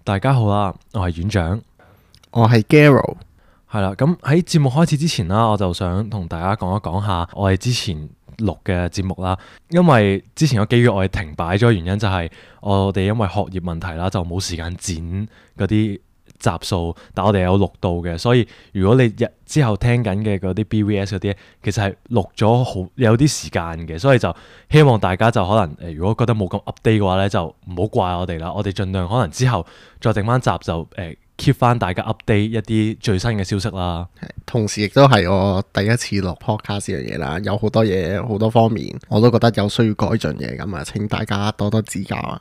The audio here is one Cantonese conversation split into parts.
大家好啦，我係院長，我係 Garo。係啦。咁喺節目開始之前啦，我就想同大家講一講下我哋之前錄嘅節目啦。因為之前有幾個月我哋停擺咗，原因就係我哋因為學業問題啦，就冇時間剪嗰啲集數，但我哋有錄到嘅。所以如果你之後聽緊嘅嗰啲 BVS 嗰啲，其實係錄咗好有啲時間嘅，所以就希望大家就可能如果覺得冇咁 update 嘅話咧，就唔好怪我哋啦。我哋盡量可能之後再整翻集就keep 翻大家 update 一啲最新嘅消息啦。同時亦都係我第一次錄 podcast 呢樣嘢啦，有好多嘢好多方面我都覺得有需要改進嘅，咁啊請大家多多指教啊！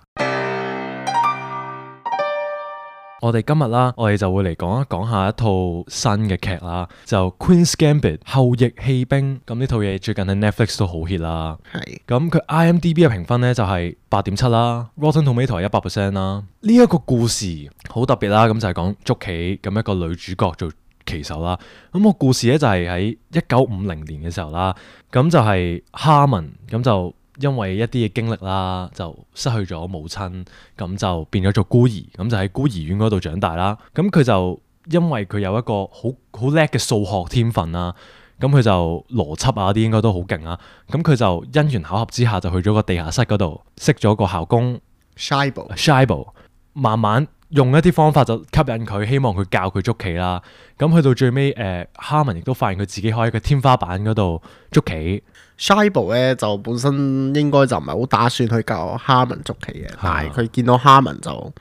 我哋今日啦，我哋就會嚟講一講下一套新嘅劇啦，就 Queen's Gambit 後翼棄兵。咁呢套嘢最近喺 Netflix 都好 hit 啦。係咁佢 IMDB 嘅評分呢就係8.7啦，Rotten Tomato 係100%啦。呢一個故事好特別啦，咁就係講捉棋咁一個女主角做棋手啦。咁個故事呢就係喺1950年嘅時候啦，咁就係哈文咁就因為一啲嘅經歷啦，就失去咗母親，咁就變咗做孤兒，咁就喺孤兒院嗰度長大啦。咁佢就因為佢有一個好叻嘅數學天分啦，咁佢就邏輯啊啲應該都好勁啦。咁佢就因緣巧合之下就去咗個地下室嗰度識咗個校工 Shibo， 慢慢用一啲方法就吸引佢，希望佢教佢捉棋啦。咁去到最尾，哈文亦都發現佢自己可以喺個天花板嗰度捉棋。Shibo 咧就本身應該就唔係好打算去教哈文捉棋嘅，但係佢見到哈文就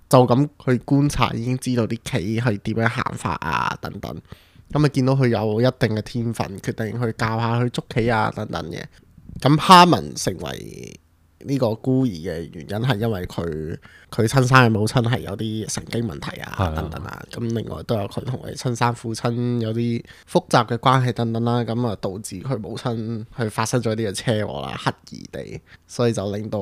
咁去觀察，已經知道啲棋係點樣行法啊等等。咁啊見到佢有一定嘅天分，決定去教下佢捉棋啊等等嘅。咁哈文成為呢個孤兒嘅原因係因為佢親生嘅母親係有啲神經問題啊等等啊，咁另外都有佢同佢親生父親有啲複雜嘅關係等等啦，咁啊導致佢母親去發生咗呢個車禍啦，刻意地，所以就令到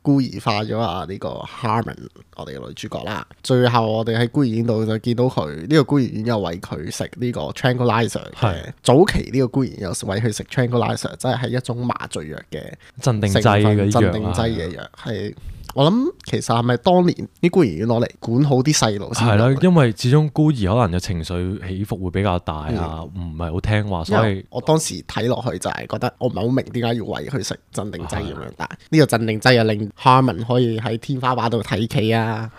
孤兒化咗啊呢個 Harmon 我哋嘅女主角啦。最後我哋喺孤兒院度就見到佢呢個孤兒院有餵佢食呢個 tranquilizer 嘅，早期呢個孤兒院有餵佢食 tranquilizer， 即係一種麻醉藥嘅鎮定劑嘅藥，係我諗其實係咪當年啲孤兒院攞嚟管好啲細路先？係啦，因為始終孤兒可能有情緒起伏會比較大啊，唔係好聽話，所以我當時睇落去就係覺得我唔係好明點解要餵佢食鎮定劑咁樣，但係呢個鎮定劑又令 Harmon 可以喺天花板度睇棋啊，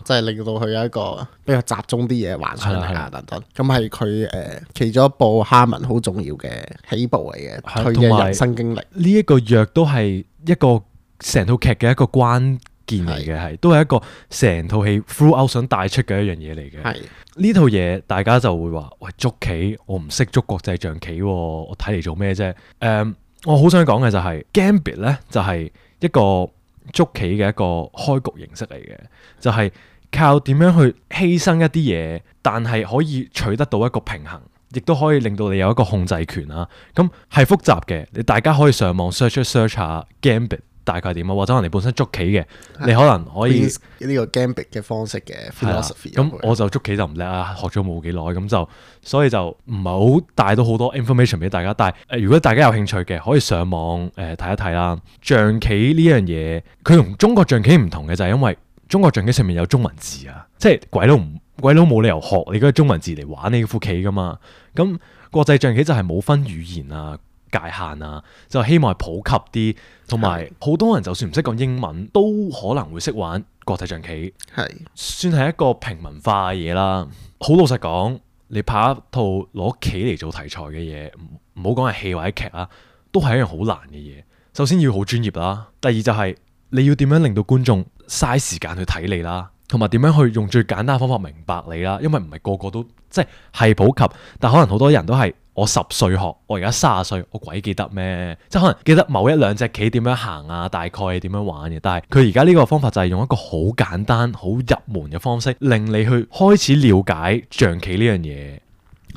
即係令到佢有一個比較集中啲嘢幻想嚟啊等等。咁係佢其中一部 Harmon 好重要嘅起步嚟嘅，佢嘅人生經歷。呢一個藥都係一個成套劇嘅一個關鍵嚟嘅，係都係一個成套戲 throughout 想帶出嘅一樣嘢嚟嘅。呢套嘢大家就會話：喂，捉棋我唔識捉國際象棋喎，我睇嚟做咩啫？我好想講嘅就係 Gambit 咧，就係一個捉棋嘅一個開局形式嚟嘅，就係靠點樣去犧牲一啲嘢，但係可以取得到一個平衡。亦都可以令到你有一個控制權啦。咁係複雜嘅，你大家可以上網 search 下 Gambit 大概點啊，或者可能你本身捉棋嘅，你可能可以呢個 Gambit 嘅方式嘅 philosophy。咁我就捉棋就唔叻啊，學咗冇幾耐，咁就所以就唔係好帶到好多 information 俾大家。但係如果大家有興趣嘅，可以上網睇一睇啦。象棋呢樣嘢，佢同中國象棋唔同嘅就係因為中國象棋上面有中文字啊，即係鬼佬冇理由學你嗰個中文字嚟玩你副棋噶嘛。咁國際象棋就係冇分語言啊、界限啊，就希望係普及啲，同埋好多人就算唔識講英文，都可能會識玩國際象棋，算係一個平民化嘅嘢啦。好老實講，你拍一套攞棋嚟做題材嘅嘢，唔好講係戲或者劇啦，都係一樣好難嘅嘢。首先要好專業啦，第二就係你要點樣令到觀眾嘥時間去睇你啦。同埋點樣去用最簡單嘅方法明白你啦，因為唔係個個都即係普及，但可能好多人都係我10歲學，我而家30歲，我鬼記得咩？即係可能記得某一兩隻棋點樣行啊，大概係點樣玩嘅。但係佢而家呢個方法就係用一個好簡單、好入門嘅方式，令你去開始了解象棋呢樣嘢。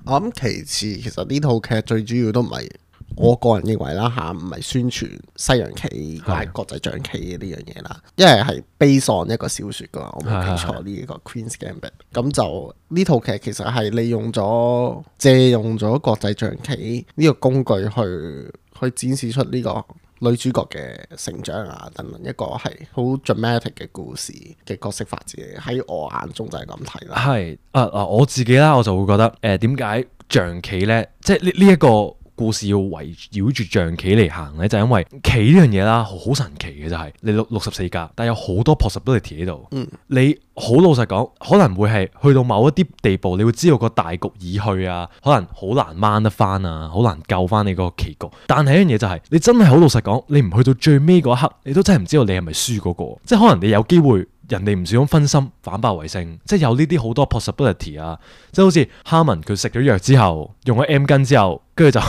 我諗其次，其實呢套劇最主要都唔係。我個人認為啦嚇，唔係宣傳西洋棋或者國際象棋呢樣嘢啦，因為係 base on 一個小説噶嘛，我冇記錯呢個 Queen's Gambit。咁就呢套劇其實係借用咗國際象棋呢個工具去展示出呢個女主角嘅成長啊等等，一個係好 dramatic 嘅故事嘅角色發展，喺我眼中就係咁睇啦。係我自己啦，我就會覺得點解象棋咧，即係呢一個故事要圍繞住象棋嚟行咧，就係因為棋呢樣嘢啦，好神奇嘅就係你64格，但係有好多 possibility 喺度。你好老實講，可能會係去到某一啲地步，你會知道個大局已去啊，可能好難掹得翻啊，好難救翻你個棋局。但係一樣嘢就係，你真係好老實講，你唔去到最尾嗰一刻，你都真係唔知道你係咪輸嗰個。即係可能你有機會。人哋唔小心分心反敗為勝，即係有呢啲好多 possibility 啊！即係好似哈文佢食咗藥之後，用咗 M 巾之後，跟住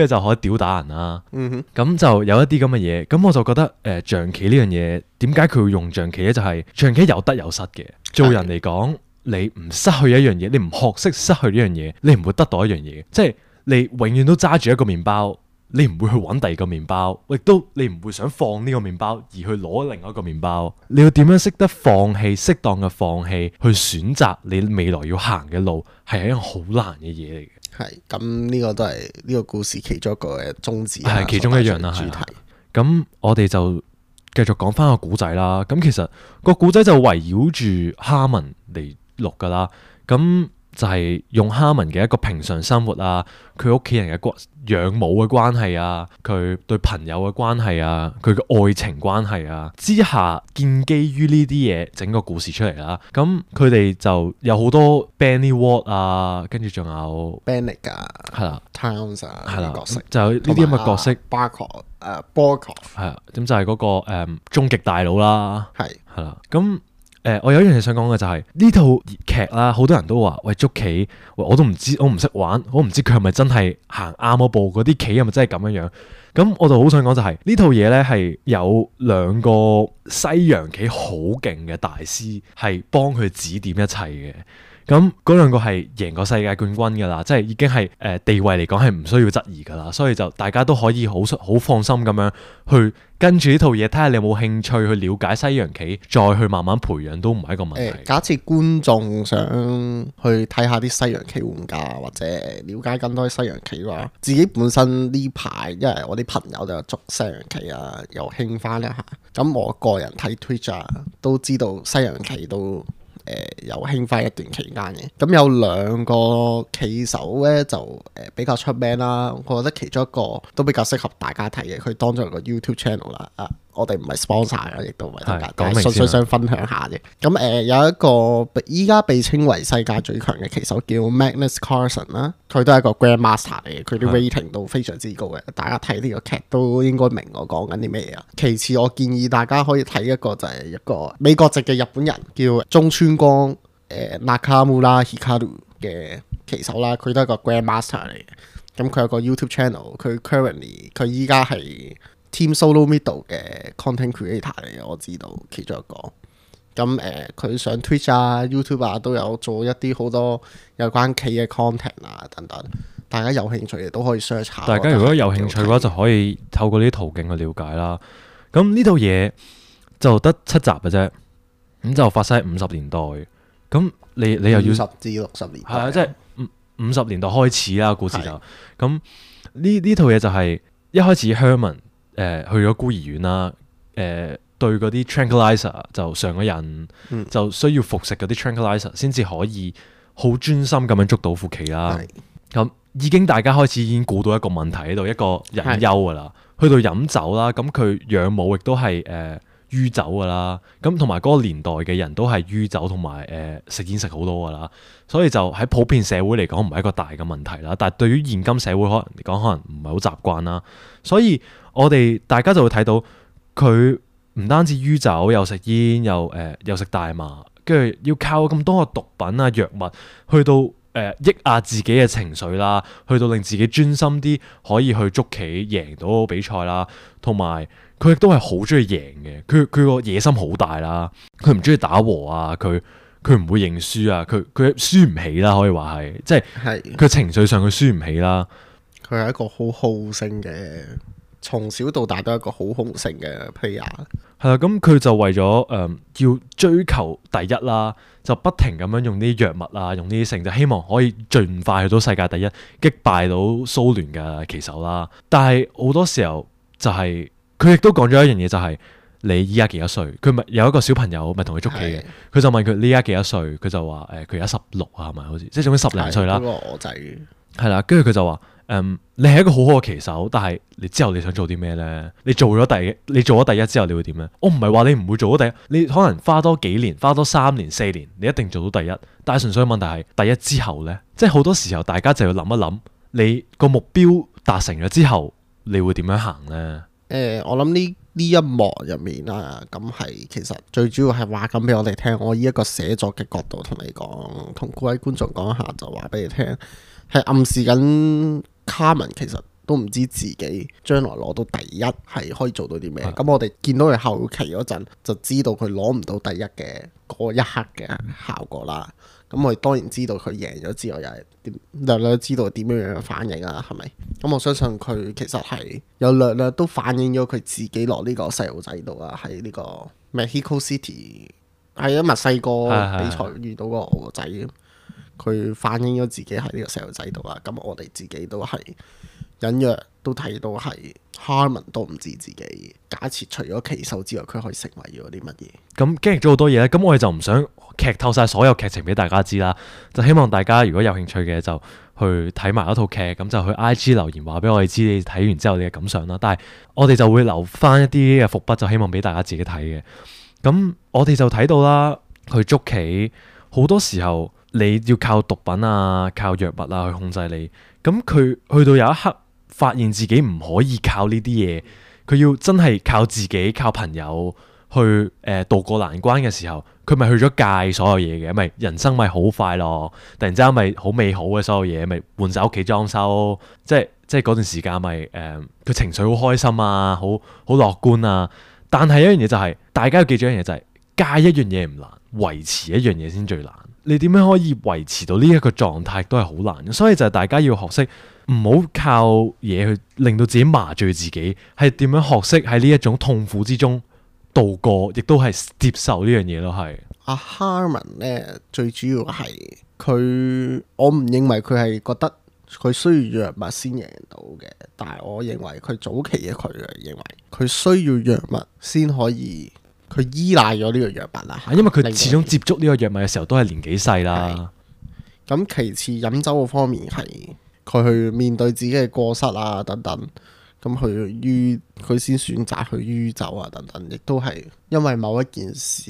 就可以屌打人啦。咁就有一啲咁嘅嘢，咁我就覺得象棋呢樣嘢點解佢會用象棋咧？就係象棋有得有失嘅。做人嚟講，你唔失去一樣嘢，你唔學識失去呢樣嘢，你唔會得到一樣嘢。即係你永遠都揸住一個麵包。你唔會去揾第二個麵包，亦都你唔會想放呢個麵包而去攞另外一個麵包。你要點樣識得放棄，適當嘅放棄，去選擇你未來要行嘅路，係一樣好難嘅嘢嚟嘅。係咁，呢個都係呢個故事其中一個嘅宗旨，係其中一樣啦。主題。咁我哋就繼續講翻個古仔啦。咁其實個古仔就圍繞住哈文嚟錄噶啦。咁就係用哈文嘅一個平常生活啊，佢屋企人嘅養母嘅關係啊，佢對朋友嘅關係啊，佢嘅愛情關係啊之下，建基於呢啲嘢整個故事出嚟啦。咁佢哋就有好多 Benny Ward 啊，跟住仲有 Bennick 啊，係啦 ，Towns 啊，係啦，角色就有呢啲咁嘅角色。Borkov 係啊，咁就係嗰個終極大佬啦。係啦，咁。我有一樣嘢想講嘅就係呢套劇啦，好多人都話喂捉棋，我都唔知，我唔識玩，我唔知佢係咪真係行啱嗰步，嗰啲棋係咪真係咁樣樣？咁我就好想講就係呢套嘢呢係有兩個西洋棋好勁嘅大師係幫佢指點一切嘅。咁嗰兩個係贏過世界冠軍㗎啦，即係已經係地位嚟講係唔需要質疑㗎啦，所以就大家都可以好放心咁樣去跟住呢套嘢，睇下你有冇興趣去了解西洋棋，再去慢慢培養都唔係一個問題。假設觀眾想去睇下啲西洋棋玩家，或者了解更多西洋棋嘅話，自己本身呢排因為我啲朋友就有捉西洋棋啊，又興翻一下。咁我個人睇 Twitch 啊，都知道西洋棋都有興翻一段期間嘅。咁有兩個棋手咧就比較出名啦，我覺得其中一個都比較適合大家睇嘅，佢當咗個 YouTube channel 啦。我哋唔係 sponsor 嘅，亦都唔係大家，但係純粹想分享下啫。咁有一個依家被稱為世界最強嘅棋手叫 Magnus Carlsen 啦，佢都係一個 Grandmaster 嚟嘅，佢啲 rating 都非常之高嘅。大家睇呢個劇都應該明我講緊啲咩啊。其次，我建議大家可以睇一個就係一個美國籍嘅日本人叫中村光Nakamura Hikaru 嘅棋手啦，佢都係一個 Grandmaster 嚟嘅。咁佢有個 YouTube channel，佢依家係Team Solo Middle 嘅 content creator 嚟嘅，我知道其中一個。咁佢上 Twitch 啊、YouTube 啊都有做一啲好多有關棋嘅 content 啊等等，大家有興趣嘅都可以 search 下。大家如果有興趣嘅話，就可以透過呢啲途徑去了解啦。咁呢套嘢就得7集嘅啫，咁就發生喺50年代。咁你又要50至60年代，係啊，即係50年代開始啦，故事就咁。呢套嘢就係一開始 Herman 去咗孤兒院啦，對嗰啲 tranquilizer 就上咗癮，就需要服食嗰啲 tranquilizer 先至可以好專心咁樣捉到副棋啦。咁已經大家開始已經估到一個問題喺度，一個隱憂㗎啦。去到飲酒啦，咁佢養母亦都係酗酒㗎啦。咁同埋嗰個年代嘅人都係酗酒同埋食煙食好多㗎啦。所以就喺普遍社會嚟講唔係一個大嘅問題啦。但係對於現今社會可能嚟講，可能唔係好習慣啦。所以我哋大家就會睇到佢唔單止酗酒，又食煙，又食大麻，跟住要靠咁多個毒品啊藥物去到抑壓自己嘅情緒啦，去到令自己專心啲，可以去捉棋贏到比賽啦。同埋佢亦都係好中意贏嘅，佢個野心好大啦。佢唔中意打和啊，佢唔會認輸啊，佢輸唔起啦，可以話係，即係佢情緒上佢輸唔起啦。佢係一個好好勝嘅，從小到大都係一個好好勝嘅 player。係啦，咁佢就為咗要追求第一啦，就不停咁樣用啲藥物啊，用呢啲成就希望可以盡快去到世界第一，擊敗到蘇聯嘅棋手啦。但係好多時候就係佢亦都講咗一樣嘢就係、你依家幾多歲？佢咪有一個小朋友咪同佢捉棋嘅，佢就問佢你依家幾多歲？佢就話佢而家16啊，係咪好似即係總之10零歲啦。嗰個我仔係啦，跟住佢就話你係一個好好嘅棋手，但係你之後你想做啲咩咧？你做咗第一之後，你會點咧？我唔係話你唔會做到第一，你可能花多幾年，花多3年4年，你一定做到第一。但係純粹問題係第一之後咧，即係好多時候大家就要諗一諗，你個目標達成咗之後，你會點樣行咧？我諗呢一幕入面啊，咁係其實最主要係話緊俾我哋聽，我以一個寫作嘅角度同你講，同各位觀眾講下，就話俾你聽，係暗示緊卡文其實都唔知自己將來攞到第一係可以做到啲咩。咁我哋見到佢後期嗰陣，就知道佢攞唔到第一嘅嗰一刻嘅效果啦。咁我哋當然知道佢贏咗之後又係略略知道點樣樣反應啊，係咪？咁我相信佢其實係有略略都反映咗佢自己落呢個細路仔度啊，喺呢個 Mexico City 係因墨西哥比賽遇到個我個仔，佢反映咗自己喺呢個細路仔度啊。咁我哋自己都係隱約都睇到係 Harmon 都唔知自己假設除咗棋手之外，佢可以成為咗啲乜嘢。咁經歷咗好多嘢咧，咁我哋就唔想劇透晒所有劇情俾大家知啦，就希望大家如果有興趣嘅就去睇埋嗰套劇，咁就去 IG 留言話俾我哋知你睇完之後你嘅感想啦。但係我哋就會留翻一啲嘅伏筆，就希望俾大家自己睇嘅。咁我哋就睇到啦，去捉棋好多時候你要靠毒品啊、靠藥物啊去控制你。咁佢去到有一刻發現自己唔可以靠呢啲嘢，佢要真係靠自己、靠朋友去渡過難關嘅時候，佢咪去咗戒所有嘢嘅，咪人生咪好快樂，突然之間咪好美好嘅所有嘢，咪換晒屋企裝修，即係嗰段時間咪佢情緒好開心啊，好樂觀啊。但係一樣嘢就係、大家要記住一樣嘢就係、戒一樣嘢唔難，維持一樣嘢先最難。你點樣可以維持到呢一個狀態都係好難，所以就係大家要學識唔好靠嘢去令到自己麻醉自己，係點樣學識喺呢一種痛苦之中度過，亦都係接受呢樣嘢咯。係阿 Harmon 咧，最主要係佢，我唔認為佢係覺得佢需要藥物先贏到嘅，但係我認為佢早期嘅佢認為佢需要藥物先可以。佢依賴咗呢個藥物啦，因為佢始終接觸呢個藥物嘅時候都係年紀細啦。咁其次飲酒嘅方面係佢去面對自己嘅過失啊等等，咁佢先選擇去酗酒啊等等，亦都係因為某一件事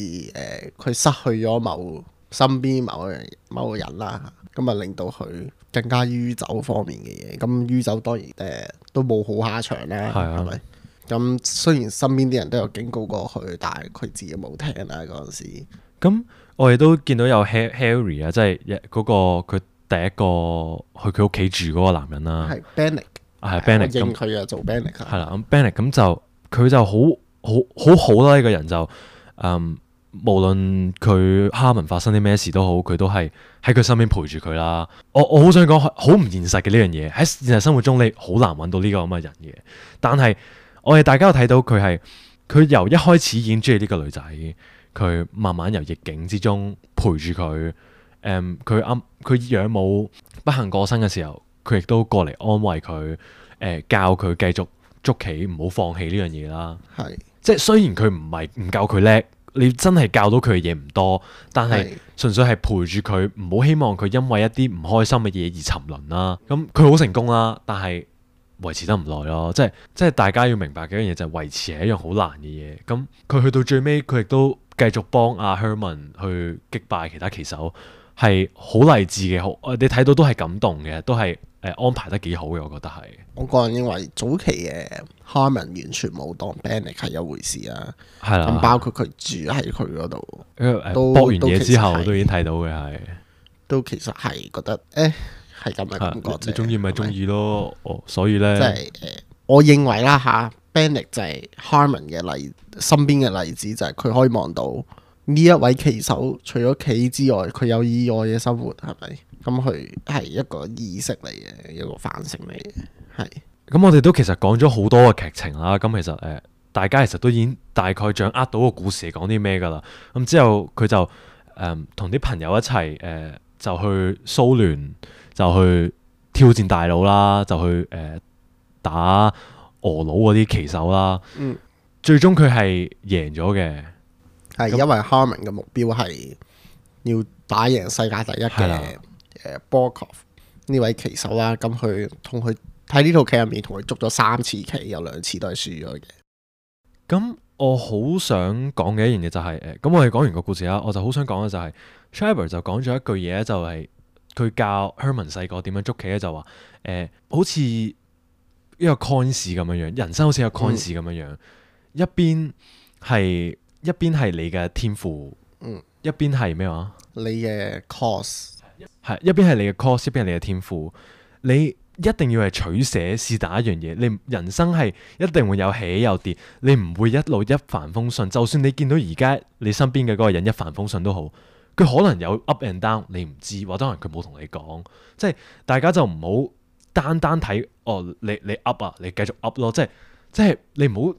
佢失去咗身邊某個人啦，咁啊令到佢更加酗酒方面嘅嘢。咁酗酒當然都冇好下場啦，係咪？咁雖然身邊啲人都有警告過佢，但係佢自己冇聽啦嗰陣時。咁我哋都見到有 Harry 啊，即係嗰個佢第一個去佢屋企住嗰個男人啦。係 Bennick， 係 Bennick。認佢啊做 Bennick。係啦，咁 Bennick 咁就佢就好啦，呢個人就無論佢Harmon發生啲咩事都好，佢都係喺佢身邊陪住佢啦。我好想講好唔現實嘅呢樣嘢，喺現實生活中你好難揾到呢個咁嘅人嘅，但係。我哋大家都睇到佢由一開始已經中意呢個女仔，佢慢慢由逆境之中陪住佢。佢養母不幸過身嘅時候，佢亦都過嚟安慰佢，教佢繼續捉棋，唔好放棄呢樣嘢啦。係，即係雖然佢唔夠佢叻，你真係教到佢嘅嘢唔多，但係純粹係陪住佢，唔好希望佢因為一啲唔開心嘅嘢而沉淪啦。咁佢好成功啦，但係。維持得唔耐咯，即係大家要明白嘅一樣嘢就係維持係一樣好難嘅嘢。咁佢去到最尾，佢亦都繼續幫阿 Herman 去擊敗其他棋手，係好勵志嘅。你睇到都係感動嘅，都係安排得幾好嘅。我覺得係。我個人認為早期嘅 Harmon 完全冇當 Bennick 係一回事啊。係啦，咁包括佢住喺佢嗰度，搏完嘢之後都已經睇到嘅係。都其實係覺得係咁嘅感覺啫，你中意咪中意咯。所以咧，即係我認為啦嚇，Bennick 就係 Harmon 嘅身邊嘅例子，就係佢可以望到呢一位棋手除咗棋之外，佢有意外嘅生活，係咪？咁佢係一個意識嚟嘅，一個反省嚟嘅，係。咁我哋都其實講咗好多嘅劇情啦。咁其實大家其實都已經大概掌握到個故事係講啲咩㗎啦。咁之後佢就同啲朋友一齊就去蘇聯。就去挑戰大佬啦，就去打俄佬嗰啲棋手啦。嗯，最終佢係贏咗嘅。係因為 Harmon 嘅目標係要打贏世界第一係啦嘅Borkov呢位棋手啦。咁佢同佢喺呢套棋入面同佢捉咗3次棋，有2次都係輸咗嘅。咁我好想講嘅一樣嘢就係咁我哋講完個故事啦，我就好想講嘅就係 Trevor 就講咗一句嘢，就係佢教 Herman 細個點樣捉棋咧，就話好似一個 coins 咁樣樣，人生好似一個 coins 咁樣樣，一邊係你嘅天賦，一邊係咩話？你嘅 course 係一邊係你嘅 course，一邊係你嘅天賦，你一定要係取捨是但一樣嘢，你人生係一定會有起有跌，你唔會一路一帆風順。就算你見到而家你身邊嘅嗰個人一帆風順都好，佢可能有 up and down，你唔知，或者可能佢冇同你講，即係大家就唔好單睇你 up 啊，你繼續 up 咯，即係你唔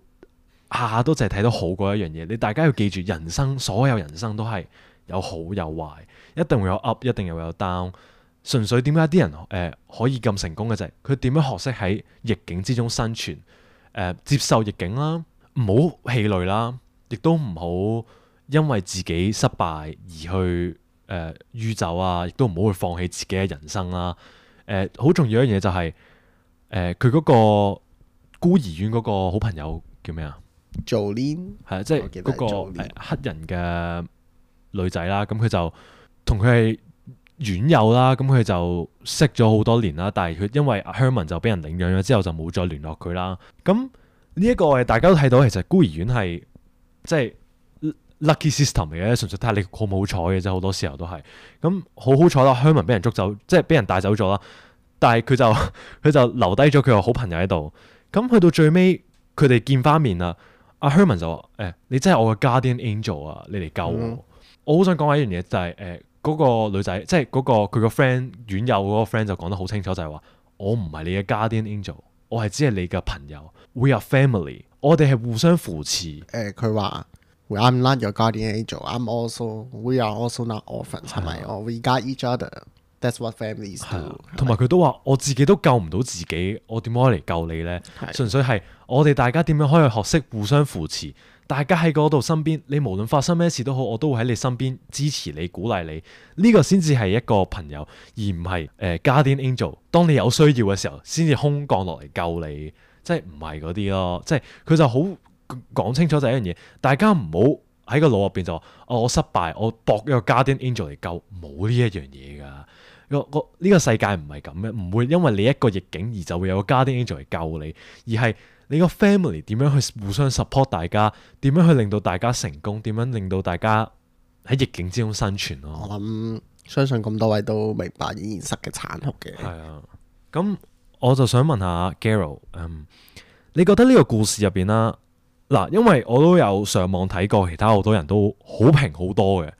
好下下都淨係睇到好嗰一樣嘢，你大家要記住，人生所有人生都係有好有壞，一定會有 up， 一定又有 down。純粹點解啲人可以咁成功嘅就係佢點樣學識喺逆境之中生存，接受逆境啦，唔好氣餒啦，亦都唔好因為自己失敗而去酗酒啊，亦都唔好去放棄自己嘅人生啦。好重要一樣嘢就係佢嗰個孤兒院嗰個好朋友叫咩啊？Jolene 係啊，即係嗰個黑人嘅女仔啦，咁佢就同佢係院友啦，咁佢就識咗好多年啦，但係佢因為 Herman 就俾人領養咗之後就冇再聯絡佢啦。咁呢一個大家都睇到，其實孤兒院係即係 lucky system 嚟嘅，純粹睇下你好唔好彩嘅啫，好多時候都係。咁好彩啦 Herman 俾人捉走，即係俾人帶走咗啦，但係佢就留低咗佢個好朋友喺度。咁去到最尾佢哋見翻面啦，阿 Herman 就話你真係我嘅 guardian angel 啊，你嚟救我。我好想講一樣嘢就係嗰個女仔，即係嗰個佢個 friend 院友嗰個 friend 就講得好清楚，就係話我唔係你嘅 guardian angel， 我係只係你嘅朋友。We are family， 我哋係互相扶持。佢話 I'm not your guardian angel, we are also not orphans， 係咪？We got each other, that's what families do。同埋佢都話我自己都救唔到自己，我點可以嚟救你呢？純粹係我哋大家點樣可以學識互相扶持。大家喺嗰度身邊，你無論發生咩事都好，我都會喺你身邊支持你、鼓勵你。呢個先至係一個朋友，而唔係guardian angel。當你有需要嘅時候，先至空降落嚟救你，即係唔係嗰啲咯。即係佢就好講清楚就係一樣嘢，大家唔好喺個腦入邊就話我失敗，我搏一個 guardian angel 嚟救，冇呢一樣嘢㗎。呢個世界唔係咁嘅，唔會因為你一個逆境而就會有個 guardian angel嚟救你，而係你個 family 點樣去互相 support 大家，點樣去令到大家成功，點樣令到大家喺逆境之中生存咯。我諗相信咁多位都明白現實嘅殘酷嘅。係啊，咁我就想問下 Gerald，你覺得呢個故事入邊啦，嗱，因為我都有上網睇過，其他好多人都好評好多嘅。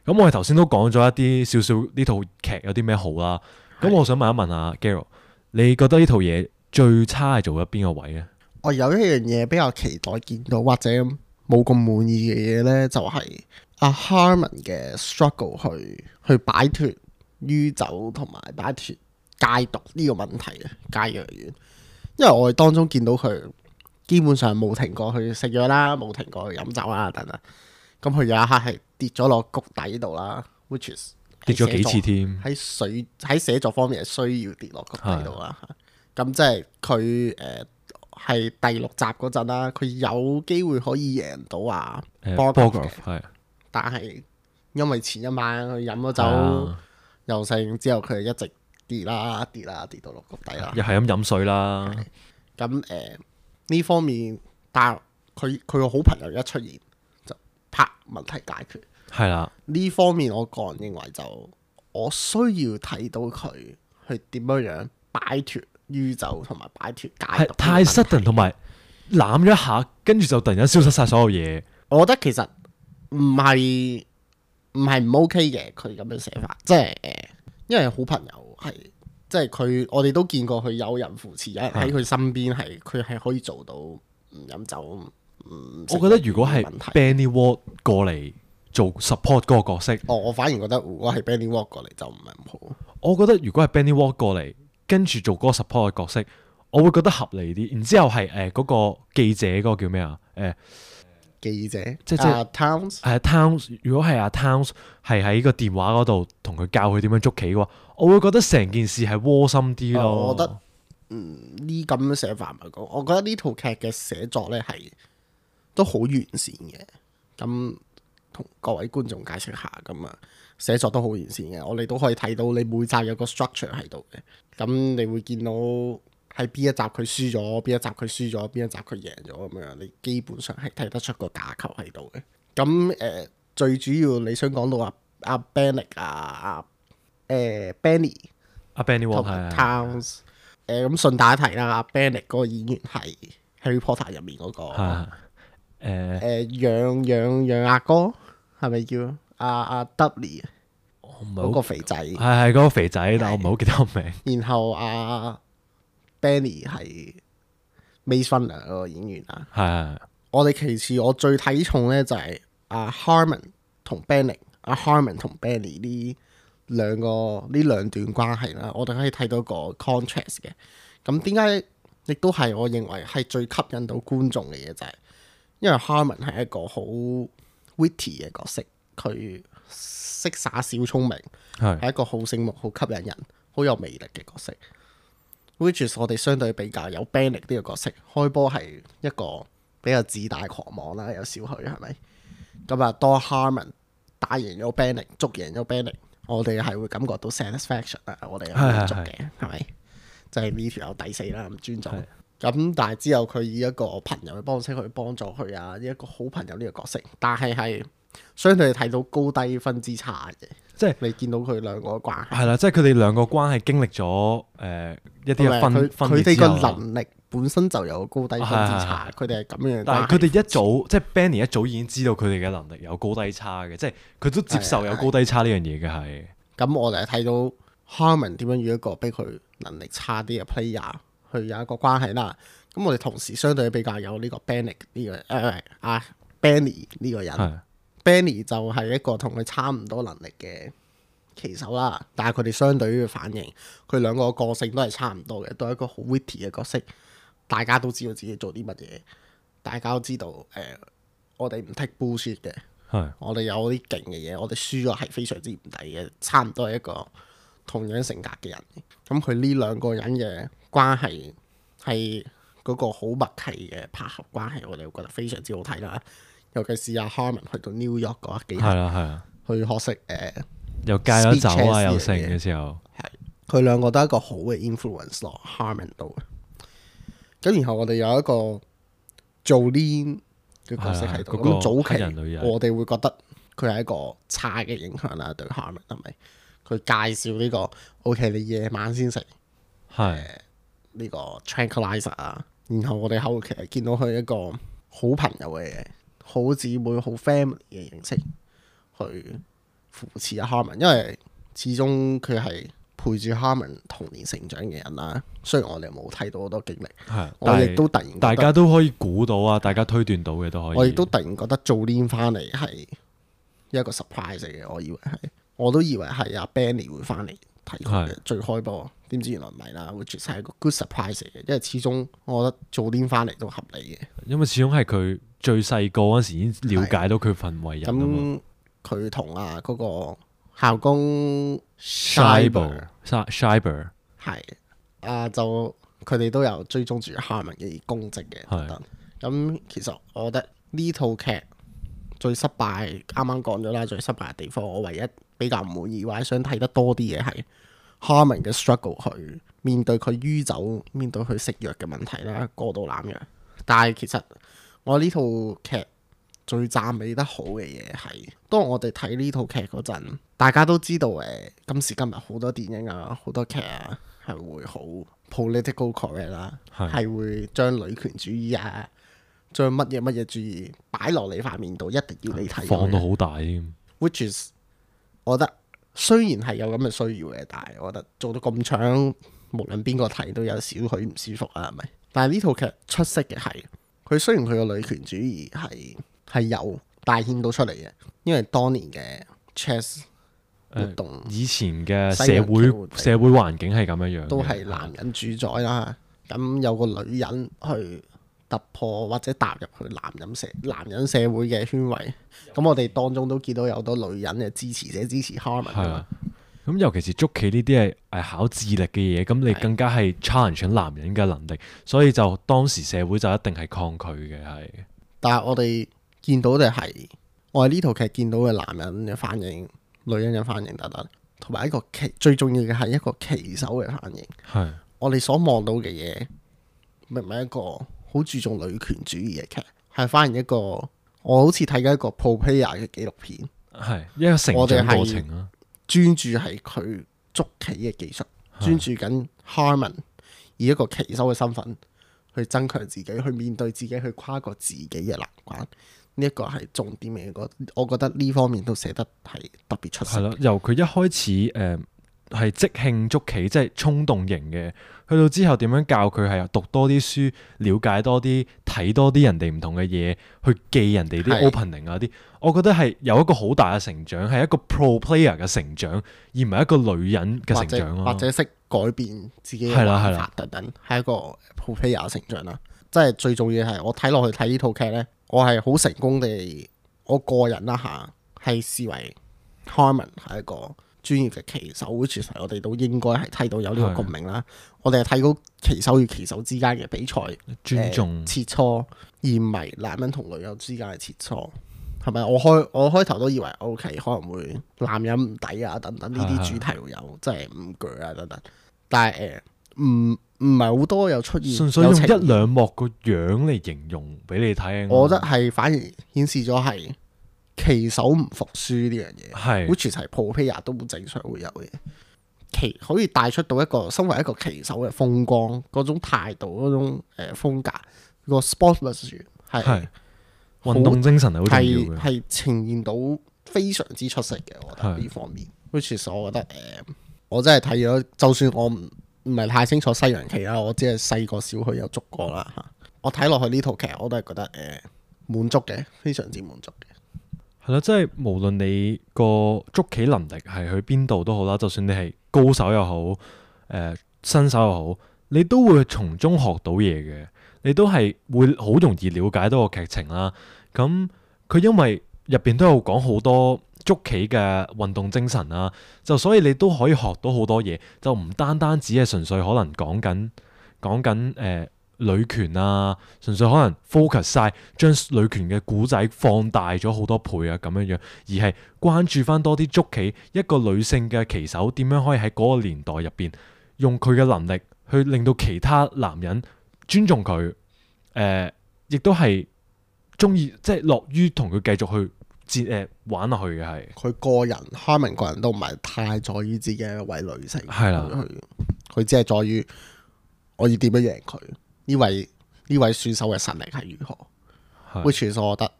咁我哋頭先都講咗一啲少少呢套劇有啲咩好啦。咁我想問一問下 Gerald，你覺得呢套嘢最差係做咗邊個位咧？我有一樣嘢比較期待見到或者冇咁滿意嘅嘢呢，就係阿 Harmon 嘅 struggle 去擺脫酗酒同埋擺脫戒毒呢個問題啊，戒藥丸。因為我哋當中見到佢基本上冇停過去食藥啦，冇停過去飲酒啦等等。咁佢有一刻係跌咗落谷底度啦 ，which is 跌咗幾次添。喺寫作方面係需要跌落谷底度啦。咁即係佢係第6集嗰陣啦，佢有機會可以贏到Borkov 嘅，但係因為前一晚佢飲咗酒又剩之後，佢一直跌到落谷底啦，又係咁飲水啦。咁呢方面，但係佢個好朋友一出現就啪問題解決。係啦，呢方面我個人認為就我需要睇到佢去點樣擺脫酗酒同埋擺脫戒毒，太 sudden 同埋攬咗一下，跟住就突然間消失晒所有嘢。我覺得其實唔係唔 OK 嘅，佢咁樣寫法，即係因為好朋友係即係佢，我哋都見過佢有人扶持，有人喺佢身邊，係佢係可以做到唔飲酒。我覺得如果係 Benny Ward 過嚟做 support 嗰個角色，我反而覺得如果係 Benny Ward 過嚟就唔係咁好。我覺得如果係 Benny Ward 過嚟跟住做嗰個 support 嘅角色，我會覺得合理啲。然之後係嗰個記者嗰個叫咩啊？記者即Towns Towns，如果係阿 Towns 係喺個電話嗰度同佢教佢點樣捉棋嘅話，我會覺得成件事係窩心啲咯。我覺得呢咁嘅寫法嚟講，我覺得呢套劇嘅寫作咧係都好完善嘅。咁同各位觀眾解釋下，咁啊寫作都好完善嘅。我哋都可以睇到你每集有個 structure 喺度嘅。咁你會見到喺邊一集佢輸咗，邊一集佢輸咗，邊一集佢贏咗咁樣，你基本上係睇得出個架構喺度嘅。咁最主要你想講到阿 Benny ，Benny 阿 Benny 同埋 Towns。咁順帶一提啦，阿 Benny 嗰個演員係 Harry Potter 入面嗰個楊阿哥，係咪叫阿 Dudley？ 嗰個肥仔係嗰個肥仔，但我唔係好記得個名。然後阿 Benny 係 Maze Runner 嗰個演員啊。係我哋其次我最睇重咧就係阿 Harmon 同 Benny， 阿 Harmon 同 Benny 呢兩段關係啦，我哋可以睇到個 contrast 嘅。咁點解亦都係我認為係最吸引到觀眾嘅嘢就係，因為 Harmon 係一個好 witty 嘅角色，佢識耍小聰明，係一個好醒目、好吸引人、好有魅力嘅角色。which is 我哋相對比較有 Benny 呢個角色，開波係一個比較自大狂妄啦，有少許係咪？咁啊，當 Harmon 打贏咗 Benny， 捉贏咗 Benny，我哋係會感覺到 satisfaction 啊！我哋係滿足嘅，係咪？就係呢條友抵死啦，咁尊重。咁但係之後佢以一個朋友嘅方式去幫助佢啊，以一個好朋友呢個角色，但係相對睇到高低分之差嘅，即係你見到佢兩個嘅關係係啦，即係佢哋兩個關係經歷咗一啲嘅分佢哋個能力本身就有高低分之差，佢哋係咁樣。但係佢哋一早即係 Benny 一早已經知道佢哋嘅能力有高低差嘅，即係佢都接受有高低差呢樣嘢嘅係。咁我哋睇到 Harmon 點樣與一個比佢能力差啲嘅 player 去有一個關係啦。咁我哋同時相對比較有呢個 Benny 呢個Benny 呢個人。Benny 就係一個同佢差唔多能力嘅棋手啦，但係佢哋相對於嘅反應，佢兩個個性都係差唔多嘅，都係一個好 witty 嘅角色。大家都知道自己做啲乜嘢，大家都知道我哋唔 take bullshit 嘅，我哋有啲勁嘅嘢，我哋輸咗係非常之唔抵嘅，差唔多係一個同樣性格嘅人。咁佢呢兩個人嘅關係係嗰個好默契嘅拍合關係，我哋會覺得非常之好睇啦。尤其是阿 Harmon 去到 New York 嗰幾日，去學識又戒咗酒啊，又剩嘅時候，佢兩個都係一個好嘅 influence 落 Harmon 度。咁然後我哋有一個 Jolene 嘅角色喺度，咁早期我哋會覺得佢係一個差嘅影響啦，對 Harmon 係咪？佢介紹呢個 OK， 你夜晚先食呢個 tranquilizer 啊，然後我哋後期見到佢一個好朋友嘅好姊妹、好 family 嘅形式去扶持阿 Harmon， 因為始終佢係陪住 Harmon 童年成長嘅人啦。雖然我哋冇睇到好多經歷，我亦都突然大家都可以估到啊，大家推斷到嘅都可以。我亦都突然覺得Jolene翻嚟係一個 surprise 嚟嘅，我都以為係阿 Benny 會翻嚟睇佢嘅最開波，點知原來唔係啦，which係一個 good surprise 嚟嘅，因為始終我覺得Jolene翻嚟都合理嘅，因為始終係佢最細個嗰時已經了解到佢份為人啊嘛。咁佢同嗰個校工 Schreiber 係就佢哋都有追蹤住 Harmon 嘅功績嘅等等。咁其實我覺得呢套劇最失敗，啱啱講咗啦，最失敗嘅地方，我唯一比較唔滿意或者想睇得多啲嘅係 Harmon 嘅 struggle 去面對佢酗酒、面對佢食藥嘅問題啦，過度濫藥。但係其實我呢套劇最讚美得好嘅嘢係，當我哋睇呢套劇嗰陣，大家都知道今時今日好多電影啊、好多劇啊係會好 political correct 啦，係會將女權主義啊、將乜嘢主義擺落你塊面度，一定要你睇，放到好大添。which is 我覺得雖然係有咁嘅需要嘅，但係我覺得做到咁長，無論邊個睇都有少許唔舒服啊，係咪？但係呢套劇出色嘅係，佢雖然佢個女權主義係有帶顯到出嚟嘅，因為當年嘅 chess 活動，以前嘅社會環境係咁樣樣，都係男人主宰啦。咁有個女人去突破或者踏入去男人社會嘅圈圍，咁我哋當中都見到有好多女人嘅支持者支持 Harmon 㗎嘛係啊。咁尤其是捉棋呢啲係考智力嘅嘢，咁你更加係 challenge 緊男人嘅能力，所以就當時社會就一定係抗拒嘅，係。但係我哋見到嘅係，我哋呢套劇見到嘅男人嘅反應、女人嘅反應等等，同埋一個最重要嘅係一個棋手嘅反應。係。我哋所望到嘅嘢，明唔係一個好注重女權主義嘅劇，係反而一個我好似睇緊一個 pro player 嘅紀錄片，係一個成長過程啦。專注係佢捉棋嘅技術，專注緊 Harmon 以一個棋手嘅身份去增強自己，去面對自己，去跨過自己嘅難關。呢一個係重點嘅，我覺得呢方面都寫得係特別出色。係咯，由佢一開始係即興捉棋，即係衝動型嘅，去到之後點樣教佢係讀多啲書，了解多啲，睇多啲人哋唔同嘅嘢，去記人哋啲 opening 啊啲，我覺得係有一個好大嘅成長，係一個 pro player 嘅成長，而唔係一個女人嘅成長咯。或者識改變自己嘅玩法等等，係一個 pro player 嘅成長啦。即係最重要係我睇落去睇呢套劇呢，我係好成功地，我個人啦嚇係視為 Harmon 係一個專業嘅棋手，其實我哋都應該係睇到有呢個共鳴啦。我哋係睇到棋手與棋手之間嘅比賽尊重切磋，而唔係男人同女人之間嘅切磋，係咪？我開頭都以為 OK 可能會男人唔抵啊等等呢啲主題會有，即係唔鋸啊等等。但係唔係好多有出現，純粹用一兩幕個樣嚟形容俾你睇。我覺得係反而顯示咗係棋手唔服輸呢樣嘢，係，which 係 pro player 都正常會有嘅。棋可以帶出到一個身為一個棋手嘅風光，嗰種態度，嗰種風格，個 sportsmanship 係運動精神係好重要嘅，係呈現到非常之出色嘅。我覺得呢方面，which 我覺得我真係睇咗，就算我唔係太清楚西洋棋啦，我只係細個小許有捉過啦嚇。我睇落去呢套劇，我都係覺得滿足嘅，非常之滿足嘅。係咯，即係無論你個捉棋能力係去邊度都好啦，就算你係高手又好，新手又好，你都會從中學到嘢嘅，你都係會好容易了解到個劇情啦。咁佢因為入邊都有講好多捉棋嘅運動精神啦，就所以你都可以學到好多嘢，就唔單單只係純粹可能講緊女權啊，純粹可能 focus 晒將女權嘅故仔放大咗好多倍啊咁樣樣，而係關注翻多啲捉棋一個女性嘅棋手點樣可以喺嗰個年代入邊用佢嘅能力去令到其他男人尊重佢，亦都係中意即係樂於同佢繼續去玩落去嘅係。佢個人 Harmon 個人都唔係太在意自己一位女性，係啦，佢只係在於我要點樣贏佢。呢位選手嘅實力係如何？which 我覺得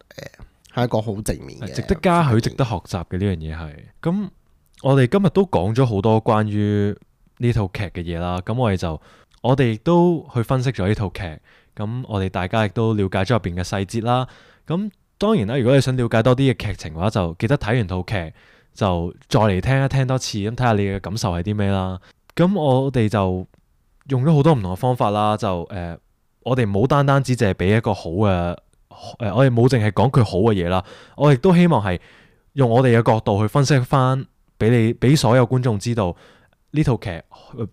係一個好正面嘅，值得嘉許、值得學習嘅呢樣嘢係。咁我哋今日都講咗好多關於呢套劇嘅嘢啦。咁我哋亦都去分析咗呢套劇。咁我哋大家亦都了解咗入邊嘅細節啦。咁當然啦，如果你想了解多啲嘅劇情嘅話，就記得睇完套劇就再嚟聽一聽多次，咁睇下你嘅感受係啲咩啦。咁我哋就用咗好多唔同嘅方法啦，就我哋冇單單只係俾一個好嘅我哋冇淨係講佢好嘅嘢啦，我亦都希望係用我哋嘅角度去分析翻，俾所有觀眾知道呢套劇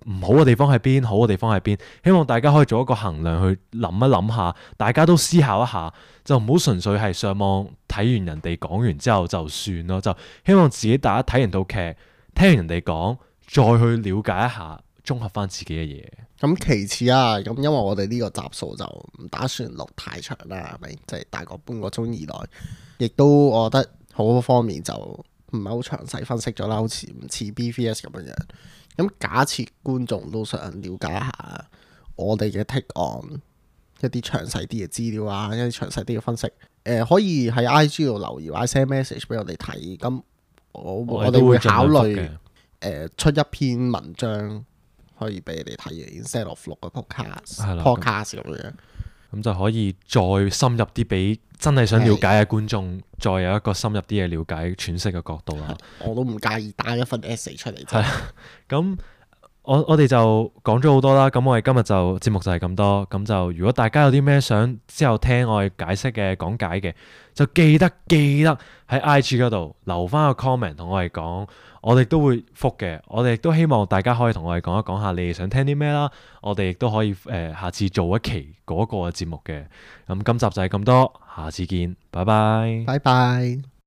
唔好嘅地方喺邊，好嘅地方喺邊，希望大家可以做一個衡量去諗一諗下，大家都思考一下，就唔好純粹係上網睇完人哋講完之後就算咯，就希望自己大家睇完套劇，聽完人哋講，再去了解一下。綜合翻自己嘅嘢。咁其次啊，咁因為我哋呢個集數就唔打算錄太長啦，係咪？即係大概半個鐘以內，亦都我覺得好多方面就唔係好詳細分析咗啦，好似唔似 BVS 咁樣樣。咁假設觀眾都想了解一下我哋嘅 take on 一啲詳細啲嘅資料啊，一啲詳細啲嘅分析，可以喺 IG 度留言或者 send message 俾我哋睇。咁我哋會考慮出一篇文章。可以俾你哋睇嘅 ，instead of 錄個 podcast 咁樣，咁就可以再深入啲，俾真係想了解嘅觀眾，再有一個深入啲嘅了解、詮釋嘅角度啦。我都唔介意打一份 essay 出嚟。係咁我哋就講咗好多啦，咁我哋今日就節目就係咁多，咁就如果大家有啲咩想之後聽我哋解釋嘅講解嘅，就記得喺 IG 嗰度留翻個 comment 同我哋講，我哋都會覆嘅。我哋亦都希望大家可以同我哋講一講下你哋想聽啲咩啦，我哋亦都可以下次做一期嗰個節目嘅。咁今集就係咁多，下次見，拜拜。拜拜。